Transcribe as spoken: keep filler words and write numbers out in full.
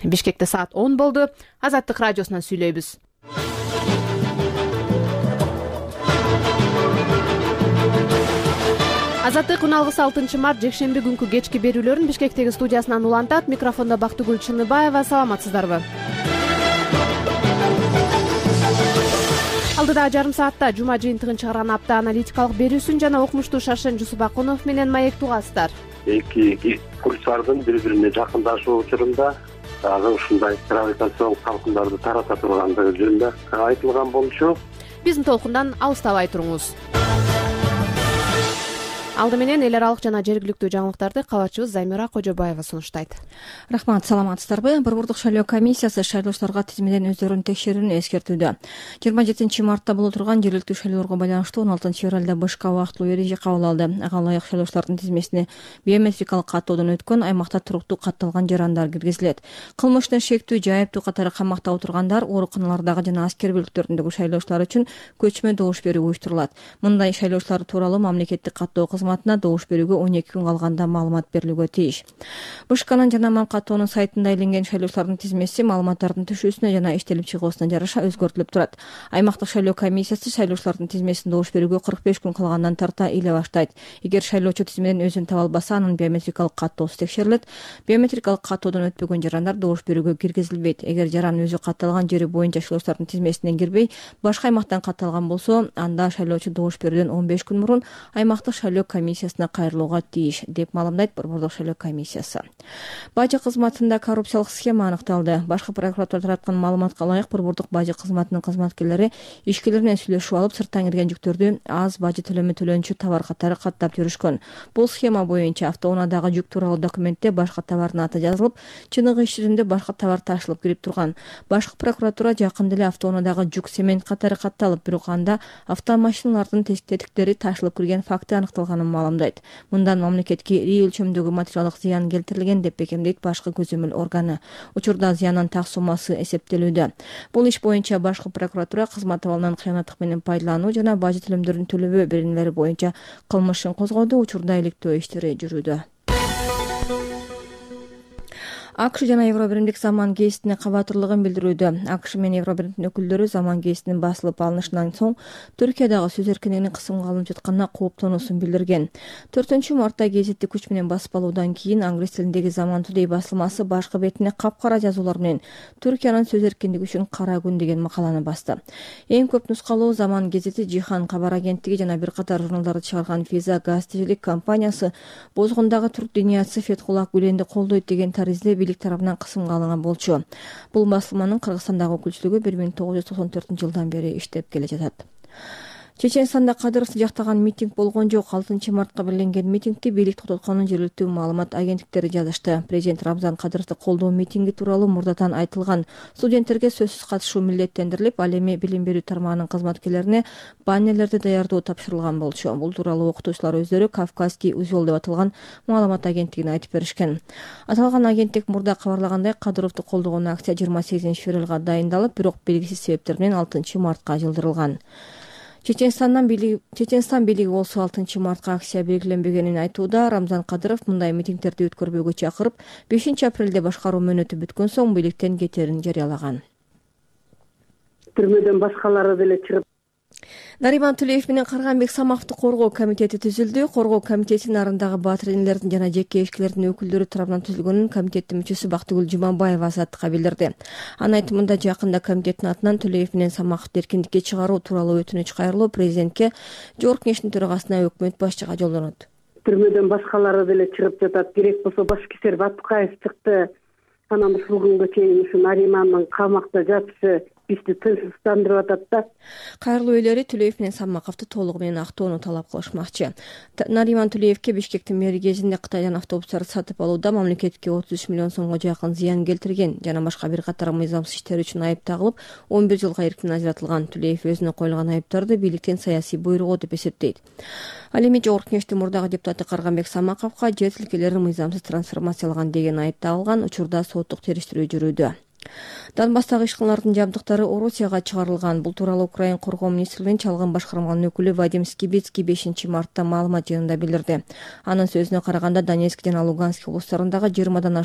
Бишкекте саат он болду. Азаттык радиосунан сүйлөйбүз. Азаттык он алты алтынчы март жекшемби күнкү кечки берүүлөрүн Бишкектеги студиясынан улантат. Микрофондо Бактыгүл Чыныбаева. Саламатсыздарбы? Алдыда жарым саатта жума жыйынтыгын чыгарган апта аналитикалык берүүсүн жана окумуштуу Шашен Жусупакунов менен маек тугасыздар. Эки курстардын бири-бирине жакындашуу учурунда дагы ушундай гравитациялык талкындарды тарата тургандыгы жөнүндө айтылган болчу. Биздин толкундан алыстабай туруңуз. Алды менен эл аралык жана жергиликтүү жаңылыктарды кабатчыбыз Замира Кожобаева сунуштайт. Рахмат, саламатсыздарбы? Борбордук шайлоо комиссиясы шайлоочуларга тизмеден өздөрүнүн текшерүүнү эскертүүдө. жыйырма жетинчи мартта боло турган жергиликтүү шайлоолорго байланыштуу он алтынчы февралда башка убактылуу эреже кабыл алды. Ага ылайык шайлоочулардын тизмесине биометрикалык каттоодон өткөн аймакта туруктуу катталган жарандар киргизилет. Кылмыштын шектүү же айыптуу катары камакта отургандар, ооруканалардагы жана аскер бөлүктөрүндөгү шайлоочулар үчүн көчмө добуш берүү уюштурулат. Мындай шайлоочулар тууралуу мамлекеттик каттоо кызматына добуш берүүгө он эки күн калганда маалымат берилүүгө тийиш. БШКнын жана МамКаттоонун сайтында иленген шайлоочулардын тизмеси маалыматтардын түшүүсүнө жана иштелип чыгуусуна жараша өзгөртүлүп турат. Аймактык шайлоо комиссиясы шайлоочулардын тизмесин добуш берүүгө кырк беш күн калгандан тарта иле баштайт. Эгер шайлоочу тизмеден өзүн таба албаса, анын биометрикалык каттоосу текшерилет. Биометрикалык каттоодон өтпөгөн жарандар добуш берүүгө киргизилбейт. Эгер жаран өзү катталган жери боюнча шайлоочулардын тизмесинен кирбей, башка аймактан катталган болсо, анда шайлоочу добуш берүүдөн он беш күн мурун аймактык шайлоо комиссиясына кайрылууга тийиш, деп маалымдайт Борбордук шайлоо комиссиясы. Бажы кызматында коррупциялык схема аныкталды. Башкы прокуратура тараткан маалыматка ылайык, Борбордук бажы кызматынын кызматкерлери ишкерлер менен сүйлөшүп алып, сырттан кирген жүктөрдү аз бажы төлөмү төлөнчү товар катары каттап жүрүшкөн. Бул схема боюнча автоунаадагы жүк тууралуу документте башка товардын аты жазылып, чыныгы иш жүзүндө башка товар ташылып кирип турган. Башкы прокуратура жакында эле автоунаадагы жүк цемент катары катталып, бирок анда автомашиналардын тетиктери ташылып кирген факты аныкталганын маалымдайт. Мындан мамлекетке ири өлчөмдөгү материалдык зыян келтирилген деп бекемдейт башкы көзөмөл органы. Учурда зыяндын так суммасы эсептелүүдө. Бул иш боюнча башкы прокуратура кызмат абалынан кыянаттык менен пайдалануу жана бажы төлөмдөрүн төлөбөө беренелери боюнча кылмыш ишин козгоду. Учурда иликтөө иштери жүрүүдө. АКШ жана Евробиримдик заман гезитине кабатырлыгын билдирүүдө. АКШ менен Евробиримдин өкүлдөрү заман гезитинин басылып алынышынан соң Түркиядагы сөз эркиндигинин кысымга алынып жатканына кооптонуусун билдирген. төртүнчү мартта гезитти күч менен басып алуудан кийин англис тилиндеги Заман Today басылмасы башкы бетине капкара жазуулар менен Түркиянын сөз эркиндиги үчүн кара күн деген макаланы басты. Эң көп нускалуу Заман гезити Жихан кабар агенттиги жана бир катар журналдарды чыгарган Физа газетчилик компаниясы бозгондагы түрк диниясы Фетхуллах Гүленди колдойт деген таризде бийлик тарабынан кысымга алынган болчу. Бул басылманын Кыргызстандагы өкүлчүлүгү бир миң тогуз жүз токсон төртүнчү жылдан бери иштеп келе жатат. Чеченстанда Кадыровду жактаган митинг болгон жок. алтынчы мартка белгиленген митингди бийлик токтотконун жергиликтүү маалымат агенттиктери жазышты. Президент Рамзан Кадыровду колдоо митинги тууралуу мурдатан айтылган. Студенттерге сөзсүз катышуу милдеттендирилип, ал эми билим берүү тармагынын кызматкерлерине баннерлерди даярдоо тапшырылган болчу. Бул тууралуу окутуучулар өздөрү Кавказский узел деп аталган маалымат агенттигине айтып беришкен. Аталган агенттик мурда кабарлагандай, Кадыровду колдогон акция жыйырма сегизинчи февралга дайындалып, бирок белгисиз себептер менен алтынчы мартка жылдырылган. Чеченстандан бийлиги Чеченстан бийлиги болсо алтынчы мартка акция белгиленбегенин айтууда. Рамзан Кадыров мындай митингдерди өткөрбөөгө чакырып, бешинчи апрелде башкаруу мөөнөтү бүткөн соң бийликтен кетерин жарыялаган. Түрмөдөн башкалары деле чыгып. Нариман Тулеев менен Карганбек Самаковду коргоо комитети түзүлдү. Коргоо комитетинин нарындагы баатыр энелердин жана жеке ишкерлердин өкүлдөрү тарабынан түзүлгөнүн комитеттин мүчөсү Бактыгүл Жумабаева Азаттыкка билдирди. Анын айтымында жакында комитеттин атынан Тулеев менен Самаковду эркиндикке чыгаруу тууралуу өтүнүч кайрылуу президентке, Жогорку Кеңештин төрагасына, өкмөт башчыга жолдонот. Түрмөдөн башкалары деле чыгып жатат. Керек болсо башкисер Батукаев чыкты. Анан ушул күнгө чейин ушу Наримандын камакта жатышы бизди тынчсыздандырып атат да. Кайрылуу ээлери Тулеев менен Самаковду толугу менен актоону талап кылышмакчы. Нариман Тулеевке Бишкектин мэри кезинде Кытайдан автобустарды сатып алууда мамлекетке отуз үч миллион сомго жакын зыян келтирген жана башка бир катар мыйзамсыз иштер үчүн айып тагылып, он бир жылга эрктен ажыратылган. Тулеев өзүнө коюлган айыптарды бийликтен саясий буйругу деп эсептейт. Ал эми Жогорку Кеңештин мурдагы депутаты Карганбек Самаковго жер тилкелерин мыйзамсыз трансформациялаган деген айып тагылган. Учурда соттук териштирүү жүрүүдө. Донбасстагы ишканалардын жабдыктары Орусияга чыгарылган. Бул тууралуу Украин коргоо министрлигинин чалгын башкарманын өкүлү Вадим Скибицкий бешинчи мартта маалымат жыйынында билдирди. Анын сөзүнө караганда Донецк жана Луганск облустарындагы жыйырмадан ашуун